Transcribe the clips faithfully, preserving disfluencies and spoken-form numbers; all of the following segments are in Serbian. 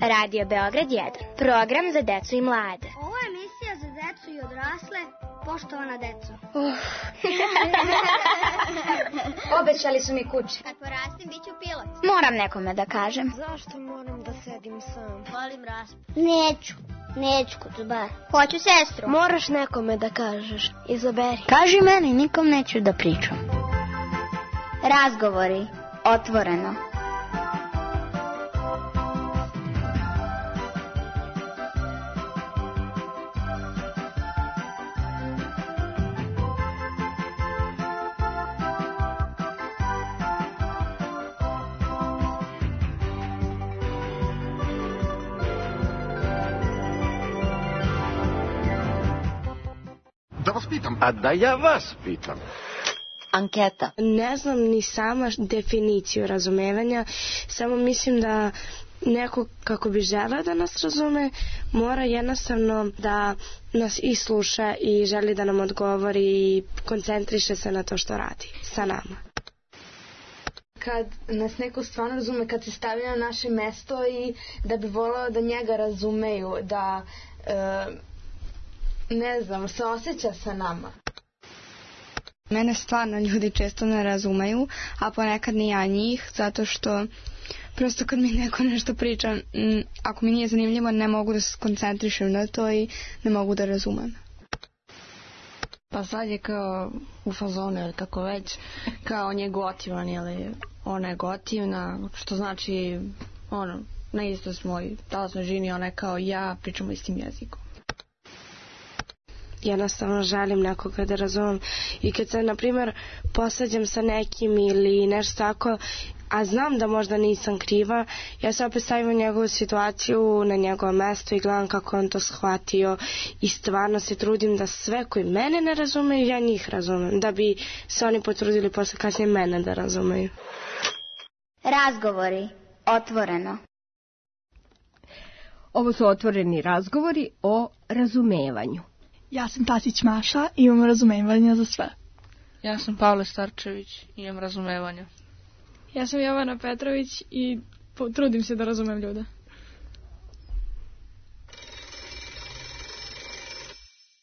Radio Beograd jedan. Program za decu i mlade. Ovo je emisija za decu i odrasle. Poštovana deco. Uh. Obećali su mi kuće. Kad porastim, bit ću pilot. Moram nekome da kažem. Zašto moram da sedim sam? Volim raspad. Neću. Neću kucbar. Hoću sestru. Moraš nekome da kažeš. Izaberi. Kaži meni, nikom neću da pričam. Razgovori. Otvoreno. Da vas pitam. A da ja vas pitam. Anketa. Ne znam ni sama definiciju razumevanja, samo mislim da neko kako bi želeo da nas razume, mora jednostavno da nas i sluša i želi da nam odgovori i koncentriše se na to što radi sa nama. Kad nas neko stvarno razume, kad se stavi na naše mesto i da bi voleo da njega razumeju, da e, ne znam, se osjeća sa nama. Mene stvarno ljudi često ne razumeju, a ponekad ni ja njih, zato što prosto kad mi neko nešto priča, m, ako mi nije zanimljivo, ne mogu da se koncentrišem na to i ne mogu da razumem. Pa sad je kao u fazonu ili kako već, kao on je gotivan ili ona je gotivna, što znači ono, na isto smo i talasnoj žini, ona je kao ja, pričamo istim jezikom. Jednostavno želim nekoga da razumem i kad se, na primjer, posađam sa nekim ili nešto tako, a znam da možda nisam kriva, ja se opet stavim u njegovu situaciju, na njegovo mesto i gledam kako on to shvatio i stvarno se trudim da sve koji mene ne razumeju, ja njih razumem, da bi se oni potrudili posle kasnije mene da razumeju. Razgovori. Otvoreno. Ovo su otvoreni razgovori o razumevanju. Ja sam Tasić Maša i imam razumevanja za sve. Ja sam Pavle Starčević i imam razumevanja. Ja sam Jovana Petrović i trudim se da razumem ljude.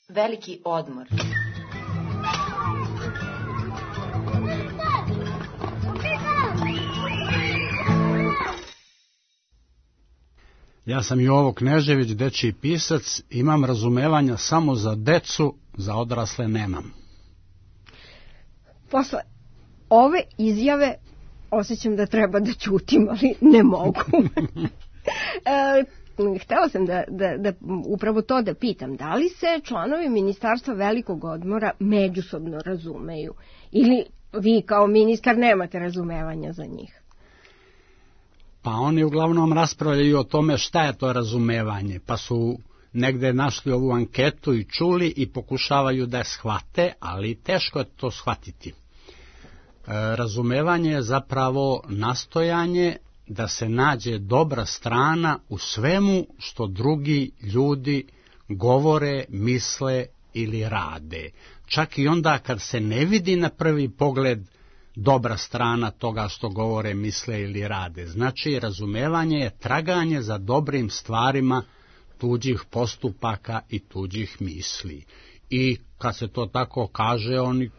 Veliki odmor. Ja sam Jovo Knežević, dečiji pisac, imam razumevanja samo za decu, za odrasle nemam. Posle ove izjave osjećam da treba da ćutim, ali ne mogu. e, htela sam da, da, da upravo to da pitam, da li se članovi Ministarstva velikog odmora međusobno razumeju ili vi kao ministar nemate razumevanja za njih? Pa oni uglavnom raspravljaju o tome šta je to razumevanje, pa su negde našli ovu anketu i čuli i pokušavaju da je shvate, ali teško je to shvatiti. E, razumevanje je zapravo nastojanje da se nađe dobra strana u svemu što drugi ljudi govore, misle ili rade. Čak i onda kad se ne vidi na prvi pogled dobra strana toga što govore, misle ili rade. Znači, razumevanje je traganje za dobrim stvarima tuđih postupaka i tuđih misli. I kad se to tako kaže, oni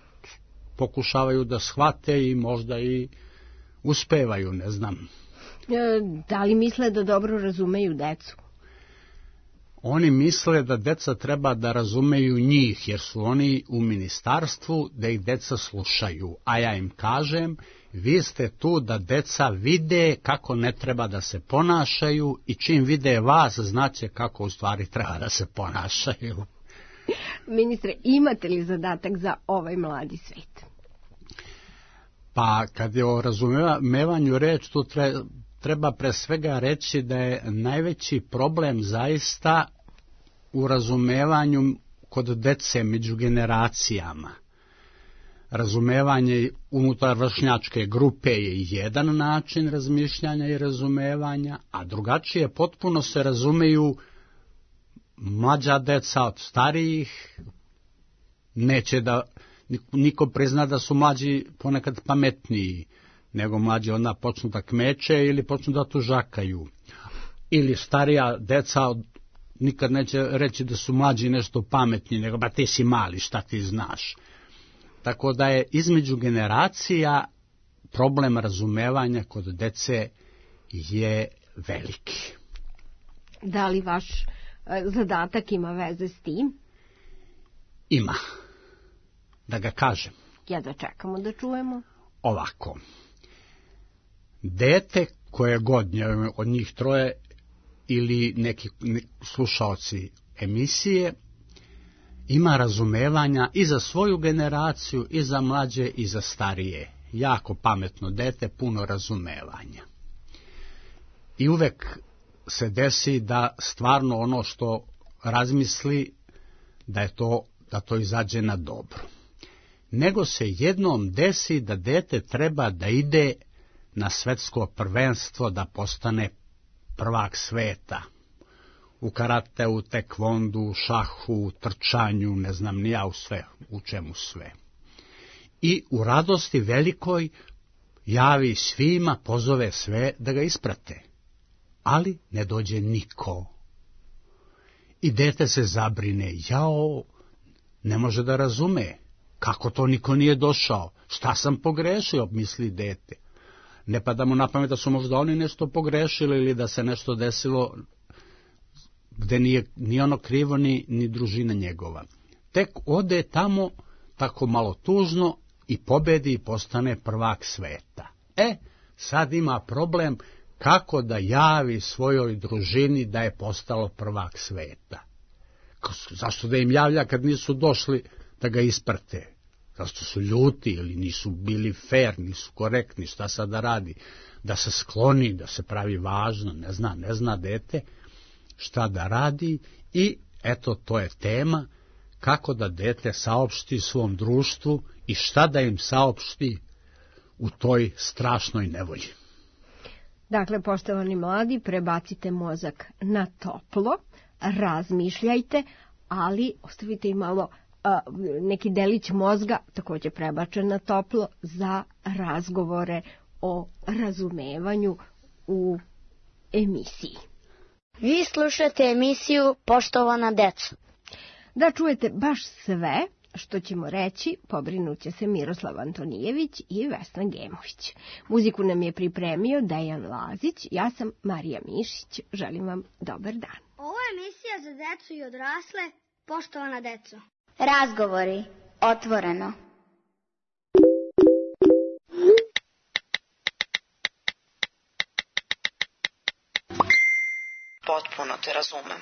pokušavaju da shvate i možda i uspevaju, ne znam. Da li misle da dobro razumeju decu? Oni misle da deca treba da razumeju njih, jer su oni u ministarstvu da ih deca slušaju. A ja im kažem, vi ste tu da deca vide kako ne treba da se ponašaju i čim vide vas, znaće kako u stvari treba da se ponašaju. Ministre, imate li zadatak za ovaj mladi svet? Pa kad je o razumevanju reč, tu treba... Treba pre svega reći da je najveći problem zaista u razumevanju kod dece među generacijama. Razumevanje unutar vršnjačke grupe je jedan način razmišljanja i razumevanja, a drugačije potpuno se razumeju mlađa deca od starijih. Neće da niko prizna da su mlađi ponekad pametniji, nego mlađi onda počnu da kmeče ili počnu da tužakaju. ili starija deca nikad neće reći da su mlađi nešto pametni, nego ba ti si mali, šta ti znaš. Tako da je između generacija problem razumevanja kod dece je veliki. Da li vaš zadatak ima veze s tim? Ima. Da ga kažem. Ja da čekamo da čujemo. Ovako. Dete koje god od njih troje ili neki slušaoci emisije ima razumevanja i za svoju generaciju, i za mlađe, i za starije. Jako pametno dete, puno razumevanja. I uvek se desi da stvarno ono što razmisli da je to, da to izađe na dobro. Nego se jednom desi da dete treba da ide na svetsko prvenstvo da postane prvak sveta. U karateu, tekvondu, šahu, trčanju, ne znam ni ja u sve, u čemu sve. I u radosti velikoj javi svima, pozove sve da ga isprate. Ali ne dođe niko. I dete se zabrine, jao, ne može da razume. Kako to niko nije došao? Šta sam pogrešio, misli dete. Ne pada mu na pamet da su možda oni nešto pogrešili ili da se nešto desilo gde nije ni ono krivo ni, ni družina njegova. Tek ode tamo tako malo tužno i pobedi i postane prvak sveta. E, sad ima problem kako da javi svojoj družini da je postalo prvak sveta. Zašto da im javlja kad nisu došli da ga isprate? Zašto su ljuti ili nisu bili fair, nisu korektni, šta sad da radi? Da se skloni, da se pravi važno, ne zna, ne zna dete šta da radi i eto to je tema kako da dete saopšti svom društvu i šta da im saopšti u toj strašnoj nevolji. Dakle, poštovani mladi, prebacite mozak na toplo, razmišljajte, ali ostavite i malo a, neki delić mozga, također prebačen na toplo, za razgovore o razumevanju u emisiji. Vi slušate emisiju Poštovana deco. Da čujete baš sve što ćemo reći, pobrinut će se Miroslav Antonijević i Vesna Gemović. Muziku nam je pripremio Dejan Lazić, ja sam Marija Mišić, želim vam dobar dan. Ovo je emisija za decu i odrasle, Poštovana deco. Razgovori, otvoreno. Potpuno te razumem.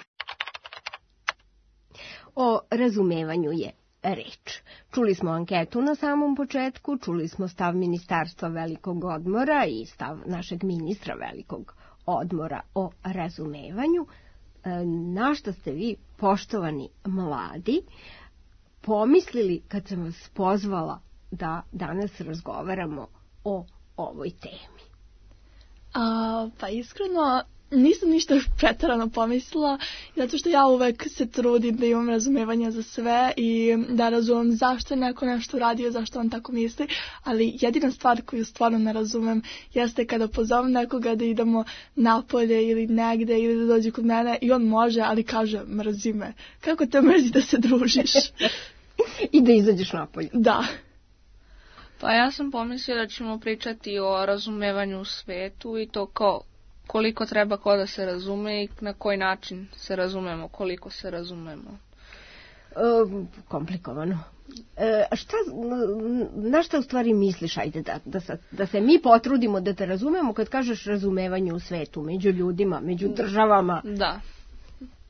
O razumevanju je reč. Čuli smo anketu na samom početku, čuli smo stav Ministarstva velikog odmora i stav našeg ministra velikog odmora o razumevanju. Na što ste vi, poštovani mladi, pomislili kad sam vas pozvala da danas razgovaramo o ovoj temi? A, pa iskreno nisam ništa preterano pomislila, zato što ja uvek se trudim da imam razumevanja za sve i da razumem zašto je neko nešto uradio, zašto on tako misli, ali jedina stvar koju stvarno ne razumem jeste kada pozovem nekoga da idemo napolje ili negde ili da dođe kod mene i on može, ali kaže mrzi me. Kako te mrzi da se družiš? I da izađeš napolje. Da. Pa ja sam pomislila da ćemo pričati o razumevanju u svetu i to kao koliko treba ko da se razume i na koji način se razumemo, koliko se razumemo. E, komplikovano. E, šta, na šta u stvari misliš, ajde, da, da, se, da se mi potrudimo da te razumemo kad kažeš razumevanje u svetu, među ljudima, među državama? Da,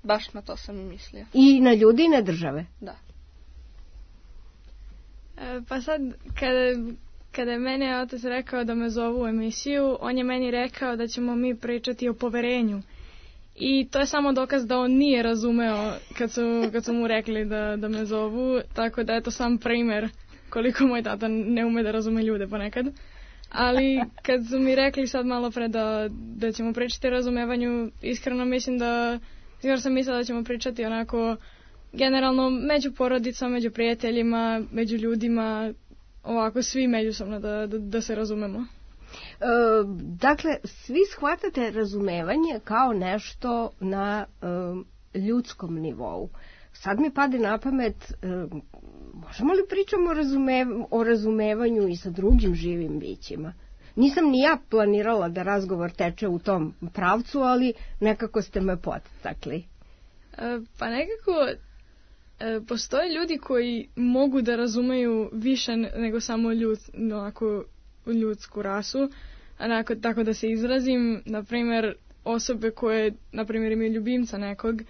baš na to sam i mislila. I na ljudi i na države? Da. E, pa sad, kada... Kada je meni otac rekao da me zovu u emisiju, on je meni rekao da ćemo mi pričati o poverenju. I to je samo dokaz da on nije razumeo kad su, kad su mu rekli da, da me zovu, tako da je to sam primer koliko moj tata ne ume da razume ljude ponekad. Ali kad su mi rekli sad malo pre da, da ćemo pričati o razumevanju, iskreno mislim da, iskreno sam mislila da ćemo pričati onako generalno među porodicom, među prijateljima, među ljudima, ovako svi međusobno da, da, da se razumemo. E, dakle, svi shvatate razumevanje kao nešto na e, ljudskom nivou. Sad mi pade na pamet, e, možemo li pričamo o, razume, o razumevanju i sa drugim živim bićima? Nisam ni ja planirala da razgovor teče u tom pravcu, ali nekako ste me podstakli. E, pa nekako e, postoje ljudi koji mogu da razumeju više nego samo ljud, onako, ljudsku rasu, onako, tako da se izrazim, na primjer osobe koje, na primjer, imaju ljubimca nekog,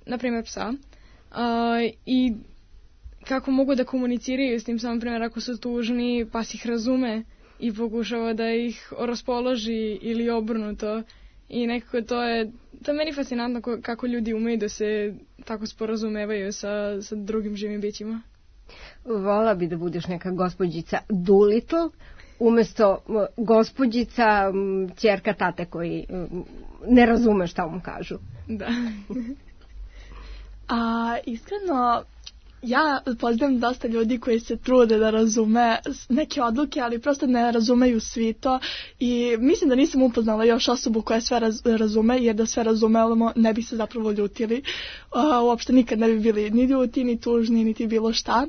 na primjer psa, e, i kako mogu da komuniciraju s tim, samo primjer ako su tužni, pas ih razume i pokušava da ih raspoloži ili obrnuto. I nekako to je, to je meni fascinantno kako ljudi umeju da se tako sporazumevaju sa, sa drugim živim bićima. Vola bi da budeš neka gospođica Doolittle, umesto gospođica ćerka tate koji ne razume šta mu kažu. Da. A iskreno, ja poznam dosta ljudi koji se trude da razume neke odluke, ali prosto ne razumeju svi to i mislim da nisam upoznala još osobu koja sve raz, razume, jer da sve razumemo ne bi se zapravo ljutili. Uh, uopšte nikad ne bi bili ni ljuti, ni tužni, niti bilo šta.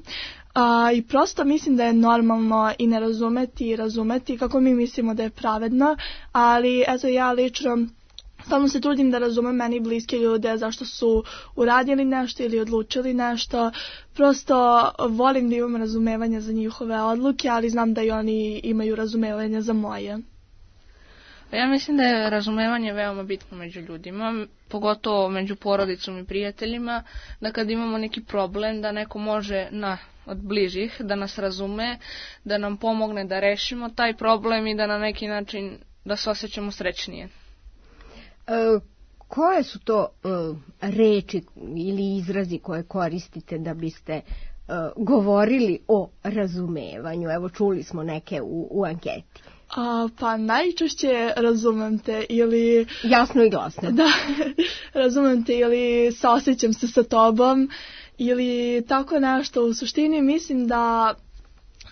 Uh, I prosto mislim da je normalno i ne razumeti i razumeti kako mi mislimo da je pravedno, ali eto ja lično stalno se trudim da razumem meni bliske ljude zašto su uradili nešto ili odlučili nešto. Prosto volim da imam razumevanja za njihove odluke, ali znam da i oni imaju razumevanja za moje. Ja mislim da je razumevanje veoma bitno među ljudima, pogotovo među porodicom i prijateljima, da kad imamo neki problem, da neko može na, od bližih da nas razume, da nam pomogne da rešimo taj problem i da na neki način da se osjećamo srećnije. E, koje su to e, reči ili izrazi koje koristite da biste e, govorili o razumevanju? Evo, čuli smo neke u, u anketi. A, pa najčešće razumem te ili... Jasno i glasno. Da, razumem te ili saosjećam se sa tobom ili tako nešto. U suštini mislim da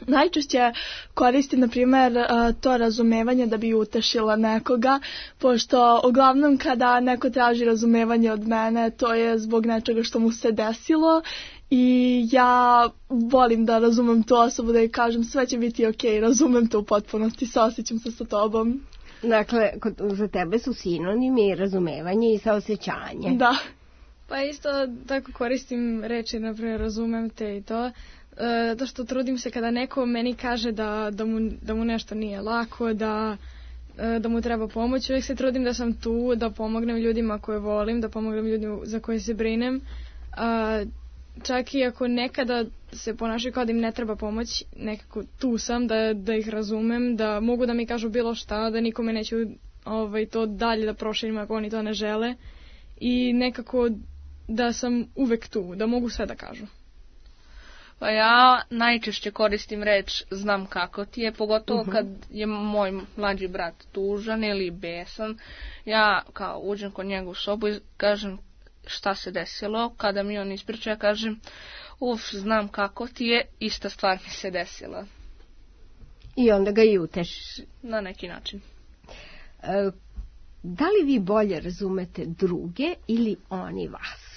najčešće koristim, na primjer, to razumevanje da bi utešila nekoga, pošto uglavnom kada neko traži razumevanje od mene, to je zbog nečega što mu se desilo i ja volim da razumem tu osobu, da joj kažem sve će biti okej, razumem to u potpunosti, saosjećam se sa tobom. Dakle, za tebe su sinonimi razumevanje i saosjećanje. Da. Pa isto tako koristim reči, na primjer, razumem te i to. Zato što trudim se kada neko meni kaže da, da, mu, da mu nešto nije lako, da, da mu treba pomoć, uvijek se trudim da sam tu, da pomognem ljudima koje volim, da pomognem ljudima za koje se brinem. A, čak i ako nekada se ponašaju kao da im ne treba pomoć, nekako tu sam, da, da ih razumem, da mogu da mi kažu bilo šta, da nikome neću ovaj, to dalje da proširim ako oni to ne žele. I nekako da sam uvek tu, da mogu sve da kažu. Pa ja najčešće koristim reč znam kako ti je, pogotovo uh-huh. kad je moj mlađi brat tužan ili besan. Ja kao uđem kod njega u sobu i kažem šta se desilo. Kada mi on ispriča, ja kažem uf, znam kako ti je, ista stvar mi se desila. I onda ga i utešiš. Na neki način. E, da li vi bolje razumete druge ili oni vas?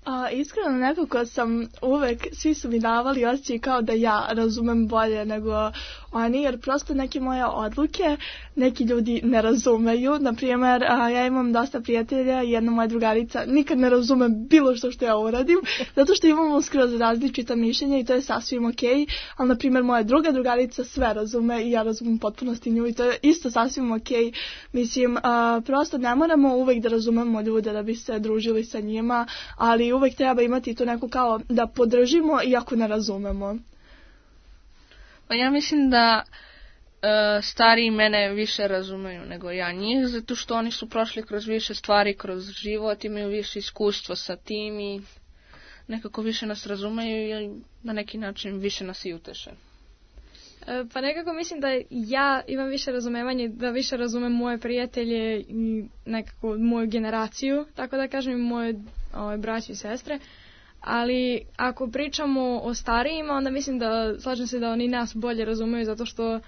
A, iskreno nekako sam uvek, svi su mi davali osjećaj kao da ja razumem bolje nego oni, jer prosto neke moje odluke neki ljudi ne razumeju. Naprimjer, a, ja imam dosta prijatelja i jedna moja drugarica nikad ne razume bilo što što ja uradim, zato što imamo skroz različita mišljenja i to je sasvim okej, ali naprimjer moja druga drugarica sve razume i ja razumem potpunosti nju i to je isto sasvim okej. Mislim, a, prosto ne moramo uvek da razumemo ljude da bi se družili sa njima, ali uvek treba imati to neko kao da podržimo iako ne razumemo. Pa ja mislim da e, stariji mene više razumeju nego ja njih, zato što oni su prošli kroz više stvari, kroz život, imaju više iskustva sa tim i nekako više nas razumeju i na neki način više nas i uteše. E, pa nekako mislim da ja imam više razumevanje, da više razumem moje prijatelje i nekako moju generaciju, tako da kažem i moje ove, braće i sestre. Ali ako pričamo o starijima, onda mislim da, slažem se da oni nas bolje razumeju zato što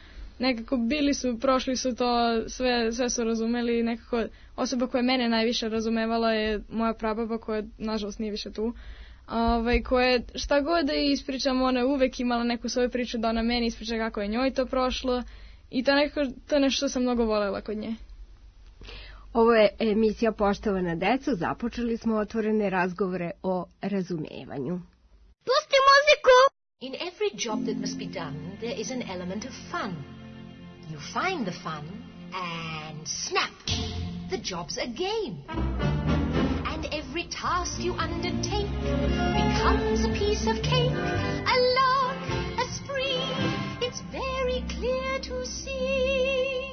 nekako bili su, prošli su to, sve, sve su razumeli, nekako osoba koja je mene najviše razumevala je moja prababa koja nažalost nije više tu, ovaj, koja je šta god da ispričam, ona je uvek imala neku svoju priču da ona meni ispriča kako je njoj to prošlo i to, nekako, to je nešto što sam mnogo volela kod nje. Ovo je emisija Poštovana deco, započeli smo otvorene razgovore o razumevanju. Pusti muziku! In every job that must be done, there is an element of fun. You find the fun, and snap, the job's a game. And every task you undertake becomes a piece of cake, a lark, a spree. It's very clear to see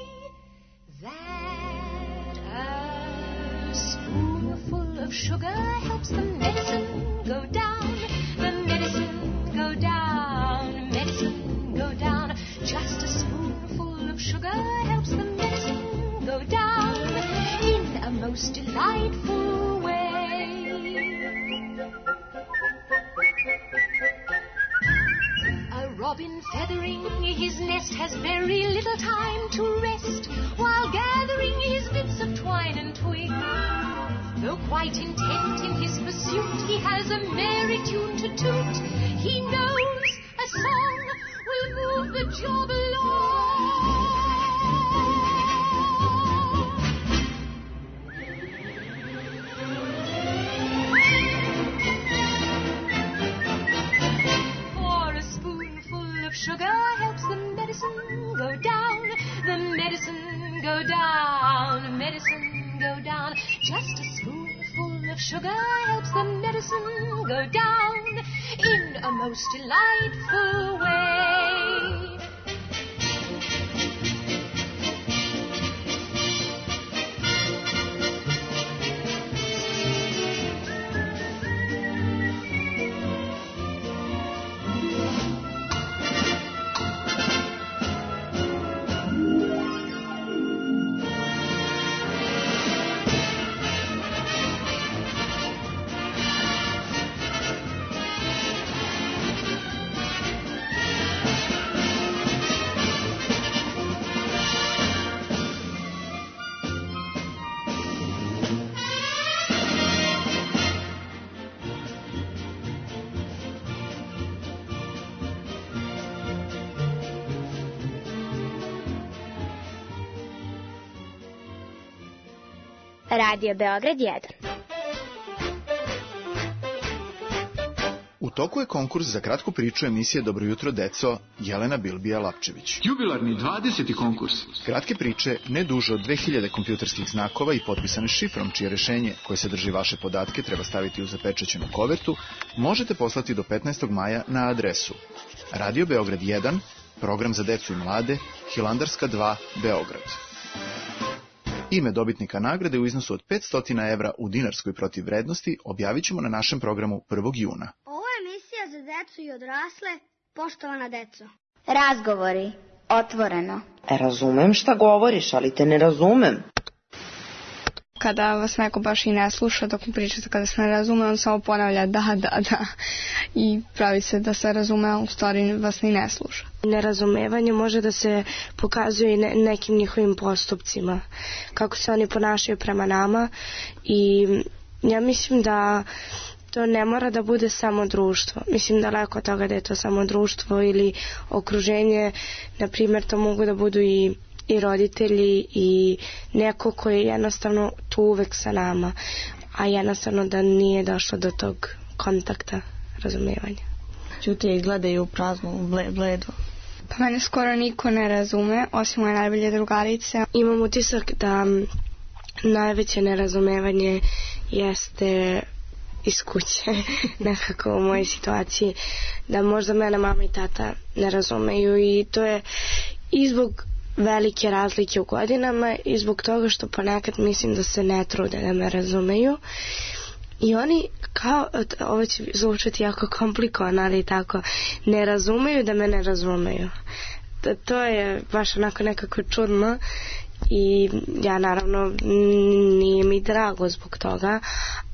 that a spoonful of sugar helps the medicine go down, the medicine go down, medicine go down. Just a spoonful of sugar helps the medicine go down in a most delightful way. A robin feathering his nest has very little time to rest while gathering his bits of twine and twig. Though quite intent in his pursuit, he has a merry tune to toot. He knows a song will move the job along. For a spoonful of sugar helps the medicine go down, the medicine go down, medicine go down. Just a spoonful of sugar helps the medicine go down in a most delightful way. Radio Beograd jedan. U toku je konkurs za kratku priču emisije Dobro jutro deco Jelena Bilbija Lapčević. Jubilarni dvadeseti konkurs. Kratke priče, ne duže od dve hiljade kompjuterskih znakova i potpisane šifrom, čije rešenje koje sadrži vaše podatke treba staviti u zapečaćenu kovertu, možete poslati do petnaestog maja na adresu Radio Beograd jedan, program za decu i mlade, Hilandarska dva, Beograd. Ime dobitnika nagrade u iznosu od petsto evra u dinarskoj protivvrednosti objavit ćemo na našem programu prvog juna. Ovo je emisija za decu i odrasle, Poštovana deco. Razgovori, otvoreno. E, razumem šta govoriš, ali te ne razumem. Kada vas neko baš i ne sluša dok mu pričate, kada se ne razume, on samo ponavlja da, da, da i pravi se da se razume, a u stvari vas ni ne sluša. Nerazumevanje može da se pokazuje i ne, nekim njihovim postupcima, kako se oni ponašaju prema nama i ja mislim da to ne mora da bude samo društvo. Mislim daleko od toga da je to samo društvo ili okruženje, na primjer to mogu da budu i i roditelji i neko koji je jednostavno tu uvek sa nama, a jednostavno da nije došlo do tog kontakta, razumijevanja. Ćute i gledaju u praznu, ble, bledu. Pa mene skoro niko ne razume, osim moje najbolje drugarice. Imam utisak da najveće nerazumevanje jeste iz kuće, nekako u mojoj situaciji, da možda mene mama i tata ne razumeju i to je i zbog velike razlike u godinama i zbog toga što ponekad mislim da se ne trude da me razumeju i oni kao, ovo će zvučati jako komplikovano, ali tako, ne razumeju da me ne razumeju. To, to je baš onako nekako čudno i ja naravno nije mi drago zbog toga,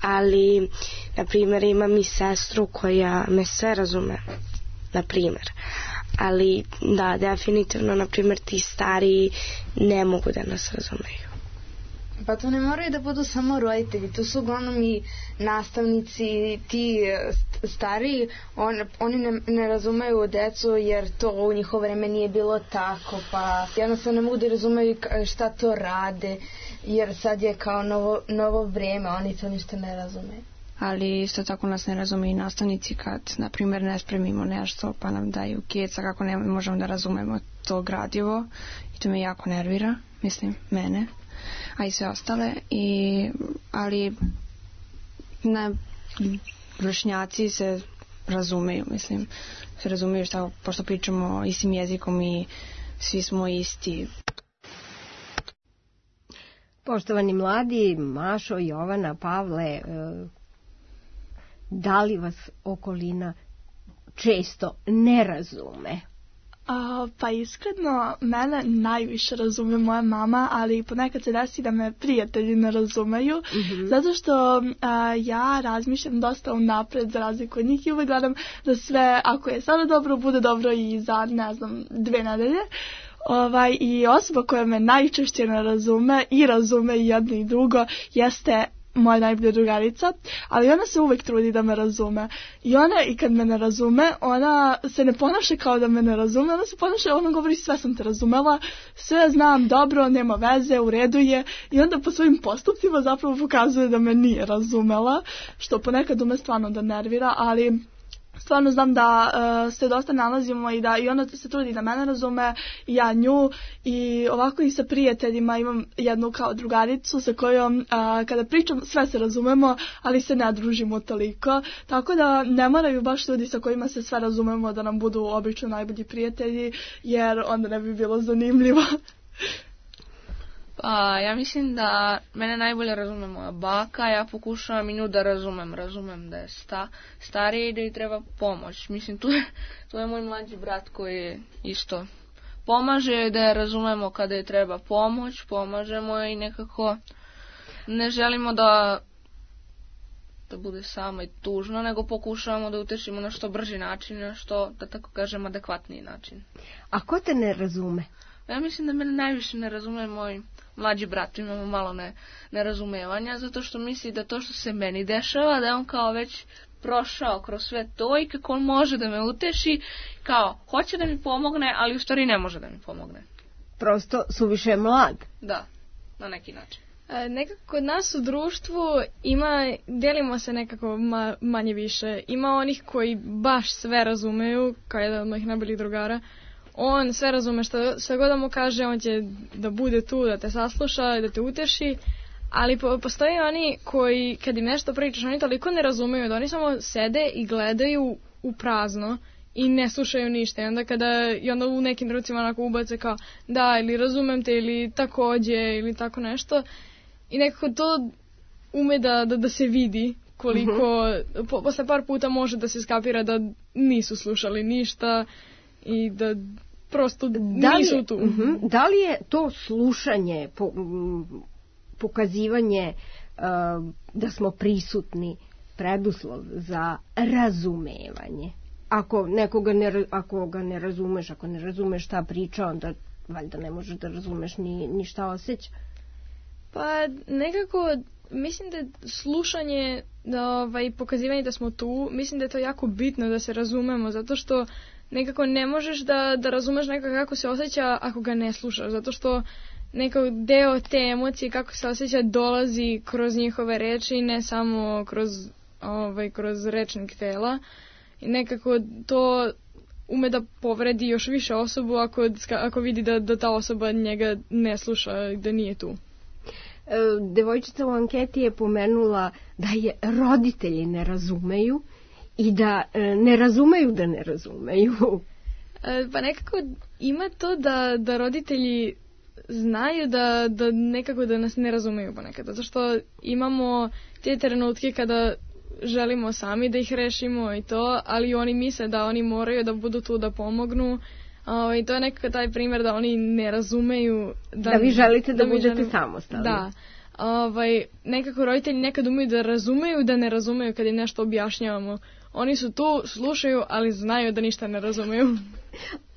ali na primjer imam i sestru koja me sve razume, na primjer. ali da, definitivno, na primjer, ti stariji ne mogu da nas razumeju. Pa to ne moraju da budu samo roditelji, to su uglavnom i nastavnici, ti stariji, on, oni ne, ne razumeju decu jer to u njihovo vreme nije bilo tako, pa jednostavno ne mogu da razumeju šta to rade, jer sad je kao novo, novo vreme, oni to ništa ne razumeju. Ali isto tako nas ne razume i nastavnici kad, na primjer, ne spremimo nešto pa nam daju keca kako ne možemo da razumemo to gradivo i to me jako nervira, mislim, mene, a i sve ostale. I, ali na vršnjaci se razumeju, mislim, se razumeju šta, pošto pričamo istim jezikom i svi smo isti. Poštovani mladi, Mašo, Jovana, Pavle, da li vas okolina često ne razume? A, pa iskreno, mene najviše razume moja mama, ali ponekad se desi da me prijatelji ne razumeju, mm-hmm. zato što a, ja razmišljam dosta unapred za razliku od njih i uvek gledam da sve, ako je sada dobro, bude dobro i za, ne znam, dve nedelje. Ovaj, i osoba koja me najčešće ne razume i razume i jedno i drugo jeste moja najbolja drugarica, ali ona se uvek trudi da me razume. I ona, i kad me ne razume, ona se ne ponaša kao da me ne razume, ona se ponaša, ona govori sve sam te razumela, sve znam dobro, nema veze, u redu je, i onda po svojim postupcima zapravo pokazuje da me nije razumela, što ponekad ume stvarno da nervira, ali stvarno znam da uh, se dosta nalazimo i da i ona se trudi da mene razume i ja nju, i ovako i sa prijateljima imam jednu kao drugaricu sa kojom uh, kada pričam sve se razumemo, ali se ne družimo toliko, tako da ne moraju baš ljudi sa kojima se sve razumemo da nam budu obično najbolji prijatelji, jer onda ne bi bilo zanimljivo. Pa, ja mislim da mene najbolje razume moja baka, ja pokušavam i nju da razumem, razumem da je sta, stariji i da joj treba pomoć. Mislim, tu je, tu je moj mlađi brat koji isto pomaže, da je razumemo kada je treba pomoć, pomažemo i nekako ne želimo da, da bude samo i tužno, nego pokušavamo da utešimo na što brži način, na što, da tako kažem, adekvatniji način. A ko te ne razume? Ja mislim da mene najviše ne razume moj mlađi brat, imamo malo ne, nerazumevanja, zato što misli da to što se meni dešava, da je on kao već prošao kroz sve to i kako on može da me uteši, kao hoće da mi pomogne, ali u stvari ne može da mi pomogne. Prosto suviše mlad. Da, na neki način. E, nekako kod nas u društvu ima, delimo se nekako ma, manje više. Ima onih koji baš sve razumeju, kao jedan od mojih najboljih drugara. On sve razume, što sve god da mu kaže, on će da bude tu, da te sasluša, da te uteši, ali po, postoji oni koji, kad im nešto pričaš, oni toliko ne razumeju da oni samo sede i gledaju u prazno i ne slušaju ništa. I onda, kada, i onda u nekim trenucima onako ubace kao da, ili razumem te, ili takođe, ili tako nešto. I nekako to ume da, da, da se vidi koliko, mm-hmm. po, posle par puta može da se skapira da nisu slušali ništa i da prosto da li, nisu tu. Uh-huh, da li je to slušanje, po, pokazivanje uh, da smo prisutni preduslov za razumevanje? Ako nekoga ne, ako ga ne razumeš, ako ne razumeš šta priča, onda valjda ne možeš da razumeš ni, ni šta osjeća. Pa nekako mislim da slušanje, da, ovaj, pokazivanje da smo tu, mislim da je to jako bitno da se razumemo, zato što nekako ne možeš da, da razumeš nekako kako se osjeća ako ga ne slušaš, zato što nekako deo te emocije kako se osjeća dolazi kroz njihove reči, ne samo kroz, ovaj, kroz rečnik tela, i nekako to ume da povredi još više osobu ako, ako vidi da, da ta osoba njega ne sluša i da nije tu. Devojčica u anketi je pomenula da je roditelji ne razumeju i da ne razumeju da ne razumeju. Pa nekako ima to da, da roditelji znaju da, da nekako da nas ne razumeju ponekad, zato što imamo te trenutke kada želimo sami da ih rešimo i to, ali oni misle da oni moraju da budu tu da pomognu. O, i to je nekako taj primjer da oni ne razumeju da, da vi želite da, da budete želim, samostalni. Da. Ovaj, nekako roditelji nekad umeju da razumeju da ne razumeju kad im nešto objašnjavamo. Oni su tu, slušaju, ali znaju da ništa ne razumeju.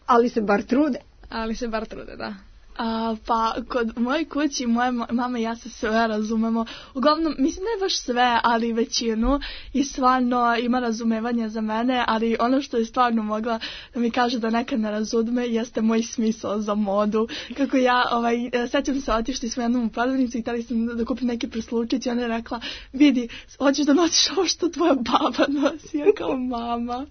Ali se bar trude. Ali se bar trude, da. A, pa kod moje kući moje mama i ja se sve razumemo, uglavnom mislim ne baš sve, ali većinu, i stvarno ima razumevanja za mene, ali ono što je stvarno mogla da mi kaže da nekad ne razume jeste moj smisao za modu. Kako ja, ovaj, sećam se, otišli smo jednom u prodavnicu i htjeli sam da kupim neki preslučić i ona je rekla, vidi, hoćeš da nosiš ovo što tvoja baba nosi, ja kao mama.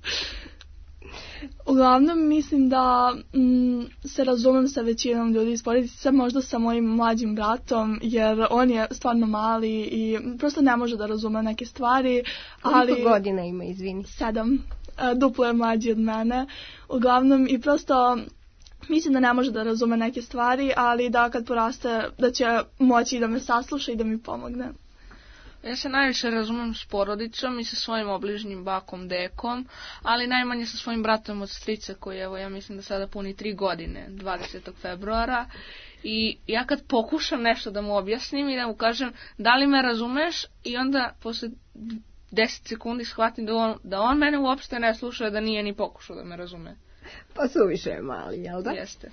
Uglavnom mislim da mm, se razumem sa većinom ljudi iz porodice, možda sa mojim mlađim bratom, jer on je stvarno mali i prosto ne može da razume neke stvari. Koliko ali, godina ima, izvini? Sedam. Duplo je mlađi od mene. Uglavnom i prosto mislim da ne može da razume neke stvari, ali da kad poraste da će moći da me sasluša i da mi pomogne. Ja se najviše razumem s porodicom i sa svojim obližnjim bakom, dekom, ali najmanje sa svojim bratom od strice koji, evo, ja mislim da sada puni tri godine, dvadesetog februara. I ja kad pokušam nešto da mu objasnim i da mu kažem da li me razumeš, i onda posle deset sekundi shvatim da on, da on mene uopšte ne sluša, da nije ni pokušao da me razume. Pa suviše je mali, jel da? Jeste.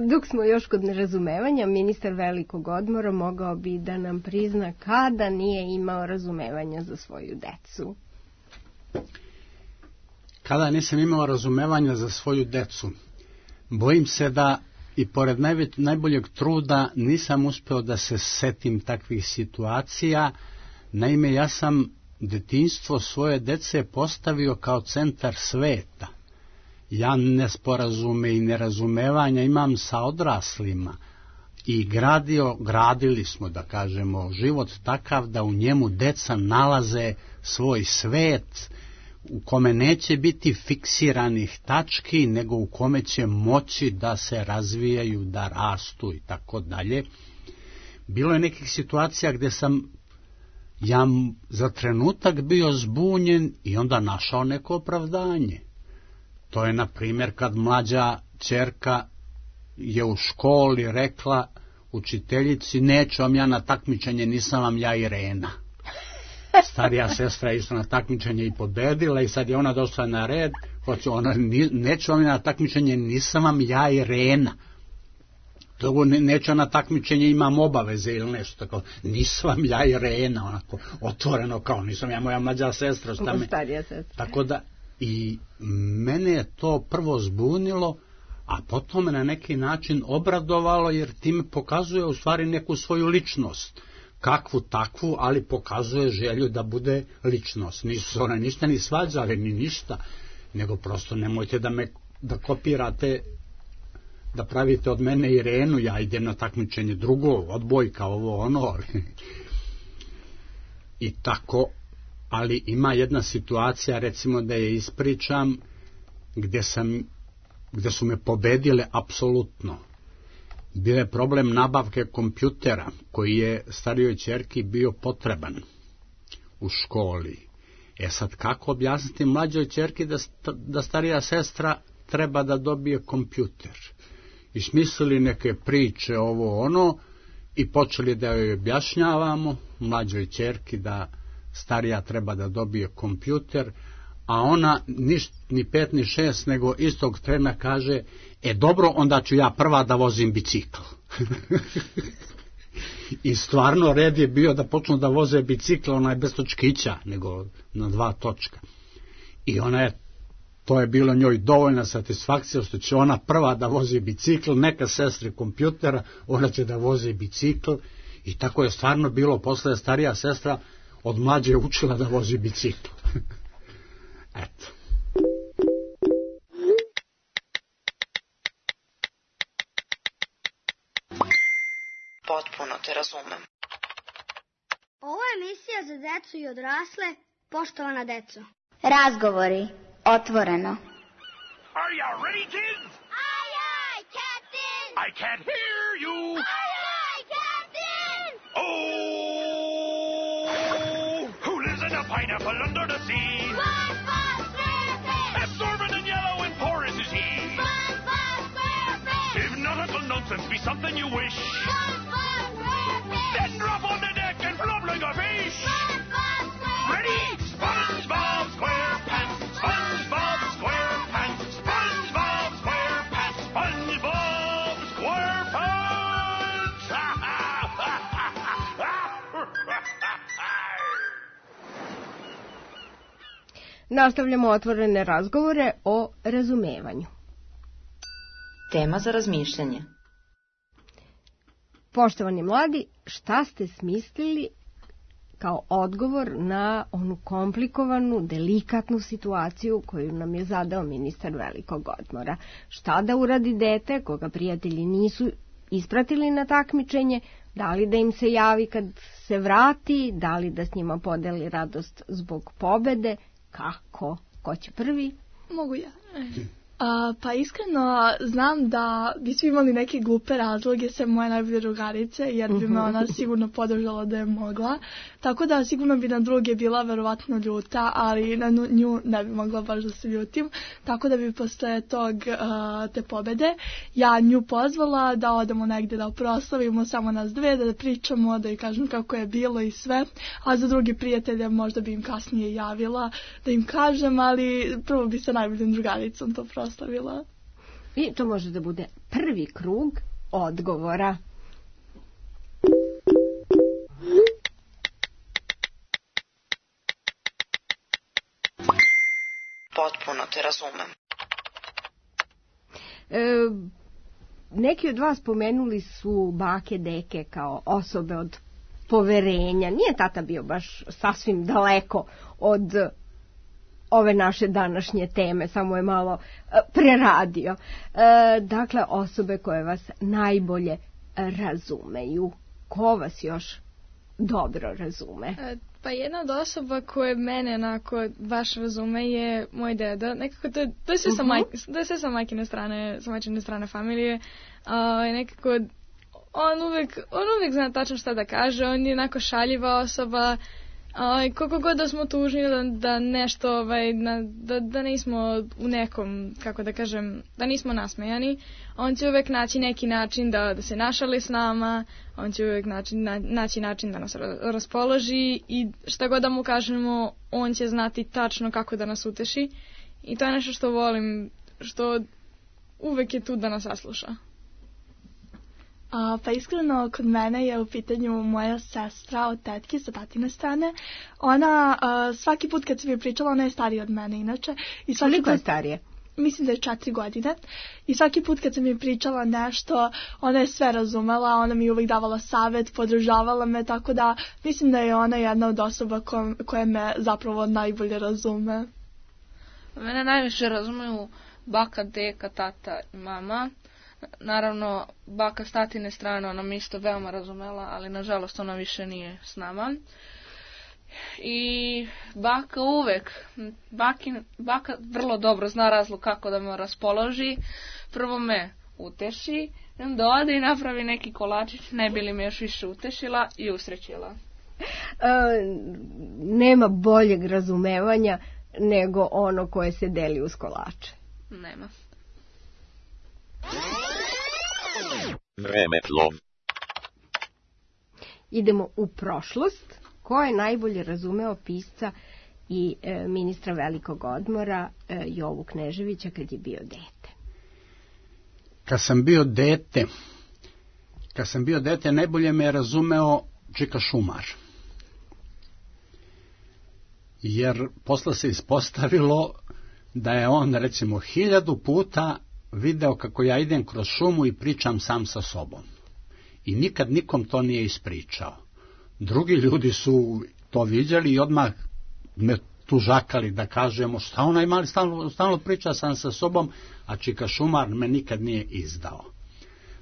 Dok smo još kod nerazumevanja, ministar velikog odmora mogao bi da nam prizna kada nije imao razumevanja za svoju decu. Kada nisam imao razumevanja za svoju decu, bojim se da i pored najve, najboljeg truda nisam uspeo da se setim takvih situacija. Naime, ja sam detinjstvo svoje dece postavio kao centar sveta. Ja nesporazume i nerazumevanja imam sa odraslima i gradio, gradili smo, da kažemo, život takav da u njemu deca nalaze svoj svet u kome neće biti fiksiranih tački, nego u kome će moći da se razvijaju, da rastu i tako dalje. Bilo je nekih situacija gdje sam ja za trenutak bio zbunjen i onda našao neko opravdanje. To je, na primjer, kad mlađa ćerka je u školi rekla učiteljici, neću vam ja na takmičenje, nisam vam ja Irena. Starija sestra je isto na takmičenje i pobedila i sad je ona došla na red, hoće ona, neću vam ja na takmičenje, nisam vam ja Irena. Togo neću na takmičenje, imam obaveze ili nešto tako, nisam vam ja Irena, onako otvoreno kao, nisam ja moja mlađa sestra. Šta me... Starija sestra. Tako da, i mene je to prvo zbunilo, a potom me na neki način obradovalo, jer time pokazuje u stvari neku svoju ličnost, kakvu takvu, ali pokazuje želju da bude ličnost. Nisu se ona ništa ni svađali, ni ništa, nego prosto nemojte da me da kopirate, da pravite od mene Irenu, ja idem na takmičenje drugo, odbojka, ovo ono. I tako. Ali ima jedna situacija, recimo da je ispričam, gdje sam, gdje su me pobedile apsolutno. Bio je problem nabavke kompjutera, koji je starijoj ćerki bio potreban u školi. E sad, kako objasniti mlađoj ćerki da, da starija sestra treba da dobije kompjuter? I smislili neke priče, ovo ono, i počeli da joj objašnjavamo, mlađoj ćerki, da starija treba da dobije kompjuter, a ona niš, ni pet ni šest, nego istog trena kaže, e dobro, onda ću ja prva da vozim bicikl. I stvarno red je bio da počnu da voze bicikl, ona je bez točkića, nego na dva točka. I ona je, to je bilo njoj dovoljna satisfakcija, što će ona prva da vozi bicikl, neka sestre kompjutera, ona će da vozi bicikl. I tako je stvarno bilo. Posle starija sestra od mlađe učila da vozi bicikl. Eto. Potpuno te razumem. Ovo je emisija za decu i odrasle, poštovana deco. Razgovori, otvoreno. Are you ready, kids? Aye, aye, Captain! I can't hear you! Aye, aye, Captain! Oh! Who lives in a pineapple under the sea? SpongeBob SquarePants! Absorbent and yellow and porous is he. SpongeBob SquarePants! If nautical nonsense be something you wish, SpongeBob SquarePants! then drop on the deck and flop like a fish. SpongeBob SquarePants! Ready? SpongeBob SquarePants! SpongeBob SquarePants! SpongeBob Nastavljamo otvorene razgovore o razumevanju. Tema za razmišljanje. Poštovani mladi, šta ste smislili kao odgovor na onu komplikovanu, delikatnu situaciju koju nam je zadao ministar velikog odmora? Šta da uradi dete koga prijatelji nisu ispratili na takmičenje? Da li da im se javi kad se vrati? Da li da s njima podeli radost zbog pobede? Kako? Ko će prvi? Mogu ja. A, pa iskreno znam da bi svi imali neke glupe razloge sem moje najbolje drugarice, jer bi me ona sigurno podržala da je mogla. Tako da sigurno bi na druge bila verovatno ljuta, ali na nju ne bi mogla baš da se ljutim. Tako da bi posle tog uh, te pobede ja nju pozvala da odemo negdje da proslavimo samo nas dve, da pričamo, da joj kažem kako je bilo i sve. A za drugi prijatelje možda bi im kasnije javila da im kažem, ali prvo bi sa najboljom drugaricom to proslavila. Ostavila. I to može da bude prvi krug odgovora. Potpuno te razumem. E, neki od vas pomenuli su bake, deke kao osobe od poverenja. Nije tata bio baš sasvim daleko od ove naše današnje teme, samo je malo e, preradio. E, dakle, osobe koje vas najbolje razumeju. Ko vas još dobro razume? E, pa jedna od osoba koje mene onako baš razume je moj deda. Nekako to, to je sve sa, uh-huh. majke, to je sve sa majkine strane, sa majčine strane familije. A, nekako on uvijek, on uvijek zna tačno šta da kaže, on je onako šaljiva osoba. Aj, koliko god da smo tužni da, da nešto, ovaj, na, da, da nismo u nekom, kako da kažem, da nismo nasmejani, on će uvijek naći neki način da, da se našali s nama, on će uvijek naći, na, naći način da nas raspoloži i šta god da mu kažemo, on će znati tačno kako da nas uteši i to je nešto što volim, što uvijek je tu da nas sasluša. A, pa iskreno kod mene je u pitanju moja sestra od tetke sa tatine strane. Ona a, svaki put kad se mi pričala, ona je starija od mene inače. I svaki Koliko put, je starije? Mislim da je četiri godine. I svaki put kad se mi pričala nešto, ona je sve razumela, ona mi uvijek davala savjet, podržavala me, tako da mislim da je ona jedna od osoba ko, koje me zapravo najbolje razume. Mene najviše razumeju baka, deka, tata i mama. Naravno, baka s tatine strane, ona me isto veoma razumela, ali nažalost ona više nije s nama. I baka uvek, bakin, baka vrlo dobro zna razlog kako da me raspoloži. Prvo me uteši, onda ode i napravi neki kolačić, ne bi li me još više utešila i usrećila. E, nema boljeg razumevanja nego ono koje se deli uz kolače. Nema. Vremeplov. Idemo u prošlost. Ko je najbolje razumeo pisca i e, ministra velikog odmora e, Jovu Kneževića kad je bio dete? Kad sam bio dete, kad sam bio dete, najbolje me je razumeo Čika Šumar. Jer posle se ispostavilo da je on, recimo, hiljadu puta video kako ja idem kroz šumu i pričam sam sa sobom. I nikad nikom to nije ispričao. Drugi ljudi su to vidjeli i odmah me tužakali da kažemo šta onaj mali stalno, stalno priča sam sa sobom, a Čika Šumar me nikad nije izdao.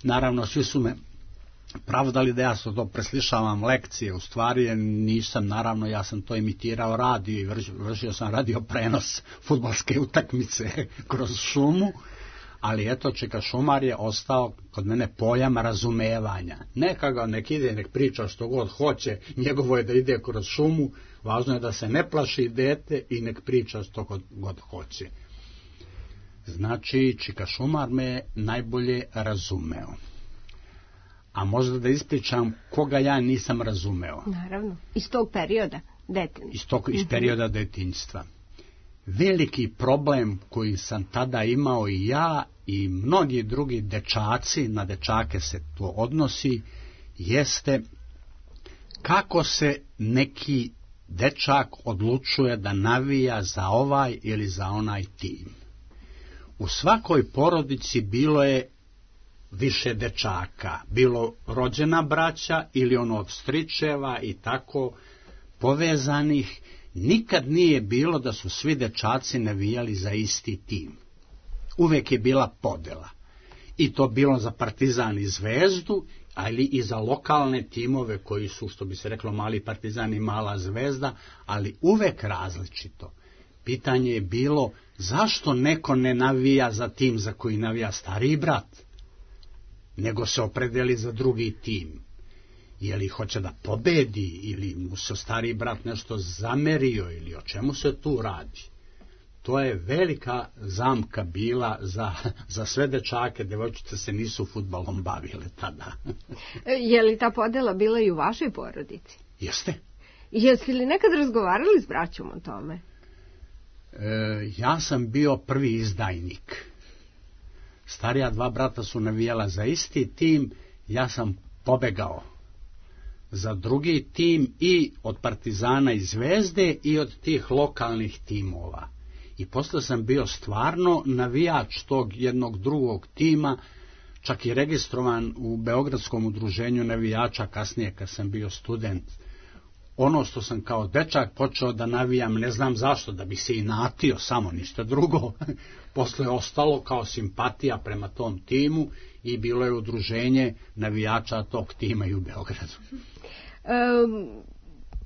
Naravno, svi su me pravdali da ja sam to preslišavam lekcije, u stvari nisam, naravno ja sam to imitirao radio i vršio sam radio prenos fudbalske utakmice kroz šumu. Ali eto, Čika Šumar je ostao kod mene pojam razumevanja. Neka ga nek ide, nek priča što god hoće, njegovo je da ide kroz šumu, važno je da se ne plaši dete i nek priča što god, god hoće. Znači, Čika Šumar me najbolje razumeo. A možda da ispričam koga ja nisam razumeo. Naravno, iz tog perioda detinjstva. Iz, tog, iz perioda detinjstva. Veliki problem koji sam tada imao i ja i mnogi drugi dečaci, na dečake se to odnosi, jeste kako se neki dečak odlučuje da navija za ovaj ili za onaj tim. U svakoj porodici bilo je više dečaka, bilo rođena braća ili ono od stričeva i tako povezanih. Nikad nije bilo da su svi dečaci navijali za isti tim. Uvek je bila podela. I to bilo za Partizan i Zvezdu, ali i za lokalne timove koji su, što bi se reklo, mali Partizan i mala Zvezda, ali uvek različito. Pitanje je bilo zašto neko ne navija za tim za koji navija stariji brat, nego se opredeli za drugi tim. Je li hoće da pobedi ili mu se stariji brat nešto zamerio ili o čemu se tu radi? To je velika zamka bila za, za sve dečake, devojčice se nisu fudbalom bavile tada. Je li ta podela bila i u vašoj porodici? Jeste. Jeste li nekad razgovarali s braćom o tome? E, ja sam bio prvi izdajnik. Starija dva brata su navijala za isti tim, ja sam pobegao za drugi tim i od Partizana i Zvezde i od tih lokalnih timova. I posle sam bio stvarno navijač tog jednog drugog tima, čak i registrovan u Beogradskom udruženju navijača kasnije kad sam bio student. Ono što sam kao dečak počeo da navijam, ne znam zašto, da bi se inatio, samo ništa drugo. Posle je ostalo kao simpatija prema tom timu i bilo je udruženje navijača tog tima i u Beogradu. Um,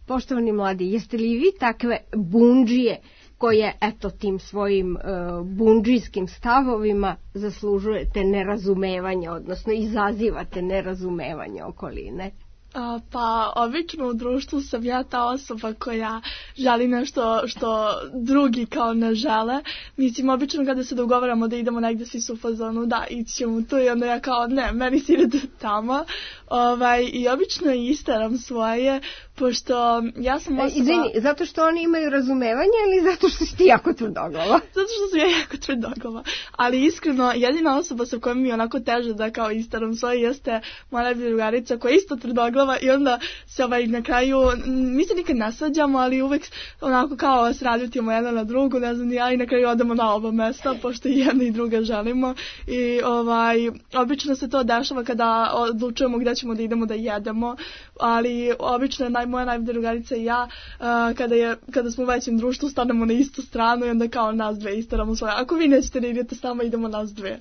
poštovani mladi, jeste li vi takve bundžije koje, eto, tim svojim uh, bundžijskim stavovima zaslužujete nerazumevanje, odnosno izazivate nerazumevanje okoline? A, pa, obično u društvu sam ja ta osoba koja želi nešto što drugi kao ne žele. Mislim, obično kada se dogovaramo da idemo negdje, svi su u fazonu, da, ićemo tu, i onda ja kao, ne, meni si ide tamo. Ovaj, I obično isteram svoje, pošto ja sam osoba... Izvini, zato što oni imaju razumevanje ili zato što si ti jako tvrdoglava? Zato što sam ja jako tvrdoglava. Ali iskreno, jedina osoba sa kojom mi je onako teže da kao isteram svoje jeste moja najbolja drugarica koja je isto tvrdoglava i onda se ovaj, na kraju, mi se nikad ne svađamo, ali uvek onako kao se raljutimo jedna na drugu, ne znam, ja i na kraju odemo na oba mesta, pošto i jedna i druga želimo. I ovaj, obično se to dešava kada odlučujemo gdje ćemo da idemo da jedemo, ali obično je naj, moja najbolja drugarica i ja, uh, kada, je, kada smo u većem društvu, stanemo na istu stranu i onda kao nas dve istaramo svoje. Ako vi nećete da idete s nama, idemo nas dve.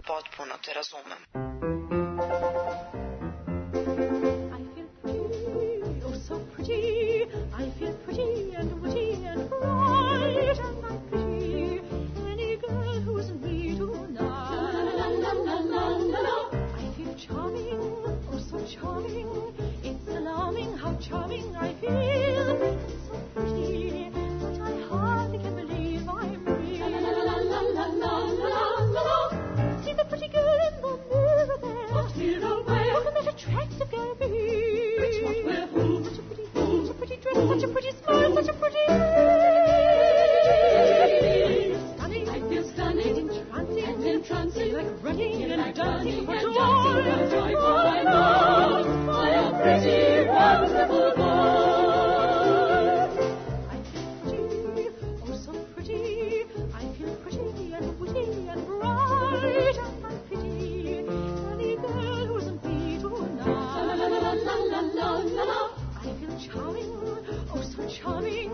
Potpuno te razumem. I feel pretty and witty and bright and I'm pretty. Any girl who's me tonight. La la la la la la. I feel charming, oh so charming. It's alarming how charming I feel. So pretty that I hardly can believe I'm real. La la la la la la la la. See the pretty girl in the mirror there. What mirror where? Look at that attractive girl be. Which what where who? Such a pretty fool. Such a pretty dress. Such a pretty smile. Such a pretty stunning. I feel stunning, entrancing, and entrancing, like running and, and dancing for joy, for joy, for my love, I am pretty, wonderful boy. I feel pretty, oh so pretty. I feel pretty and witty and bright, and I'm pretty. Any girl who isn't me tonight. La la la la la la la la. I feel charming, oh so charming.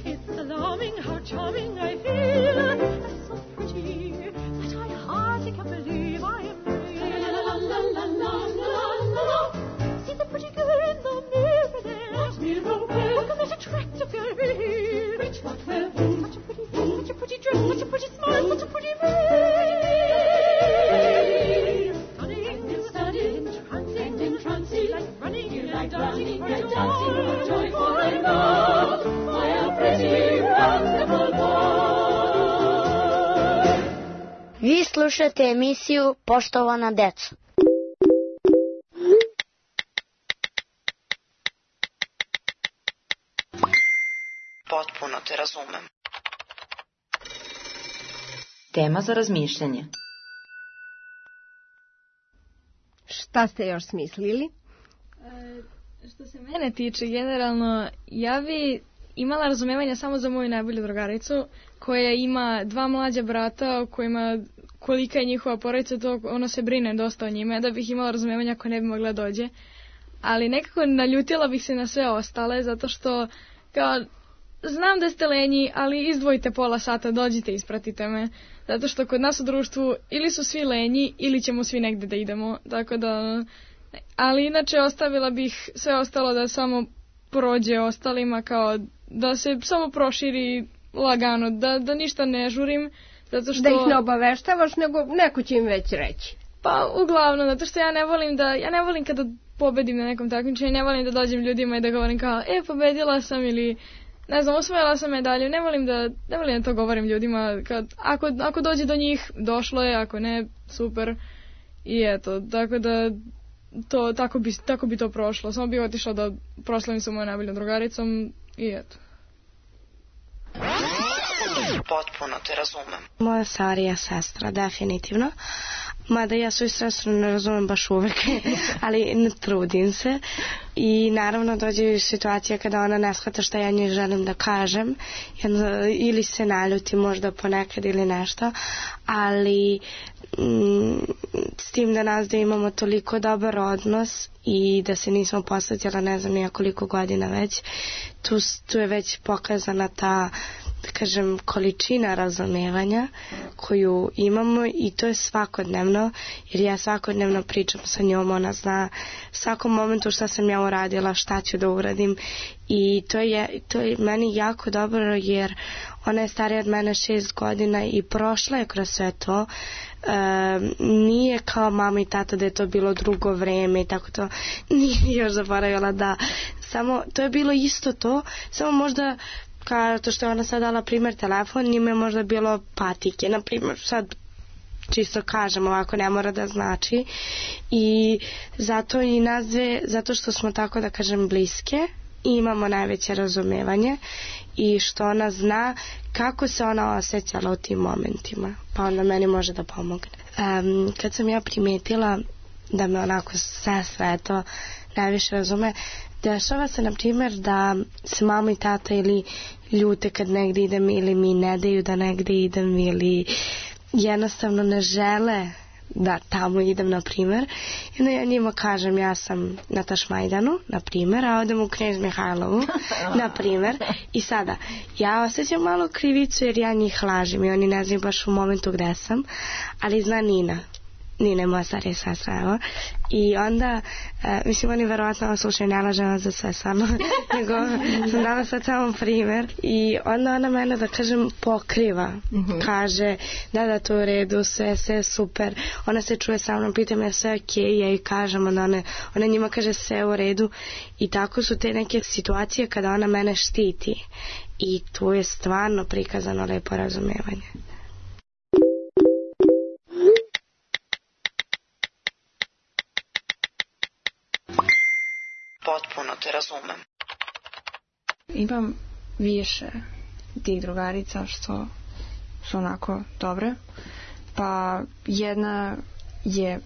It's alarming how charming I feel. And so pretty that I hardly can believe I am real. La la la la la la la la. See the pretty girl in the mirror there. What mirror where? Look at that attractive girl here. Which what where? Such a pretty face, such a pretty dress, such a pretty smile, such a pretty face. Stunning, stunning, entrancing, entrancing, like running, like dancing, like dancing for joy, for I love. I am pretty, wonderful boy. Vi slušate emisiju Poštovana deco. Potpuno te razumem. Tema za razmišljanje. Šta ste još smislili? E, Što se mene tiče, generalno, ja bi imala razumevanja samo za moju najbolju drugaricu, koja ima dva mlađa brata, o kojima kolika je njihova porodica, to ono se brine dosta o njime, da bih imala razumevanja ako ne bi mogla dođe. Ali nekako naljutila bih se na sve ostale, zato što, kao, znam da ste lenji, ali izdvojite pola sata, dođite, ispratite me. Zato što kod nas u društvu ili su svi lenji, ili ćemo svi negde da idemo, tako da... Ali inače ostavila bih sve ostalo da samo prođe ostalima, kao da se samo proširi lagano, da, da ništa ne žurim, zato što... Da ih ne obaveštavaš, nego neko će im već reći. Pa uglavnom, zato što ja ne volim da, ja ne volim kada pobedim na nekom takmičenju, ne volim da dođem ljudima i da govorim kao, e, pobedila sam ili, ne znam, osvojila sam medalju, ne volim da, ne volim da to govorim ljudima, kad, ako, ako dođe do njih, došlo je, ako ne, super, i eto, tako da, to, tako bi, tako bi to prošlo, samo bih otišla da proslavim sa mojom najboljom drugaricom, i eto. Potpuno te razumem. Moja starija sestra, definitivno. Mada ja svoju sestru ne razumem baš uvek, ali ne trudim se. I naravno dođe situacija kada ona ne shvata šta ja njoj želim da kažem. Ili se naljuti možda ponekad ili nešto. Ali mm, s tim da nas da imamo toliko dobar odnos i da se nismo posvetila ne znam nija koliko godina već, tu, tu je već pokazana ta, da kažem, količina razumevanja koju imamo i to je svakodnevno, jer ja svakodnevno pričam sa njom, ona zna svakom momentu šta sam ja uradila, šta ću da uradim i to je, to je meni jako dobro jer ona je starija od mene šest godina i prošla je kroz sve to. E, nije kao mama i tata da je to bilo drugo vreme i tako to, nije još zaboravila da, samo to je bilo isto to, samo možda kao to što je ona sad dala primjer telefon, njima je možda bilo patike, na primjer sad čisto kažem ovako, ne mora da znači i zato i nas dve, zato što smo tako da kažem bliske i imamo najveće razumevanje i što ona zna kako se ona osjećala u tim momentima, pa onda meni može da pomogne. Um, kad sam ja primetila da me onako sestra eto najviše razume, dešava se na primjer da se mama i tata ili ljute kad negdje idem ili mi ne daju da negdje idem ili jednostavno ne žele da tamo idem na primjer i onda ja njima kažem ja sam na Tašmajdanu na primjer, a odem u Knez Mihajlovu na primjer i sada ja osjećam malo krivicu jer ja njih lažem i oni ne znaju baš u momentu gde sam, ali zna Nina Nina je moja starija sestra, evo. I onda, e, mislim, oni verovatno slušaju, ne lažem za sve samo, nego sam dala sad samo primjer. I onda ona mene, da kažem, pokriva. Mm-hmm. Kaže, da, da, to u redu, sve, sve super. Ona se čuje sa mnom, pita me sve ok, ja joj kažem, onda ona, ona njima kaže sve u redu. I tako su te neke situacije kada ona mene štiti. I tu je stvarno prikazano lepo razumevanje. Potpuno te razumem. Imam više tih drugarica što su onako dobre. Pa jedna je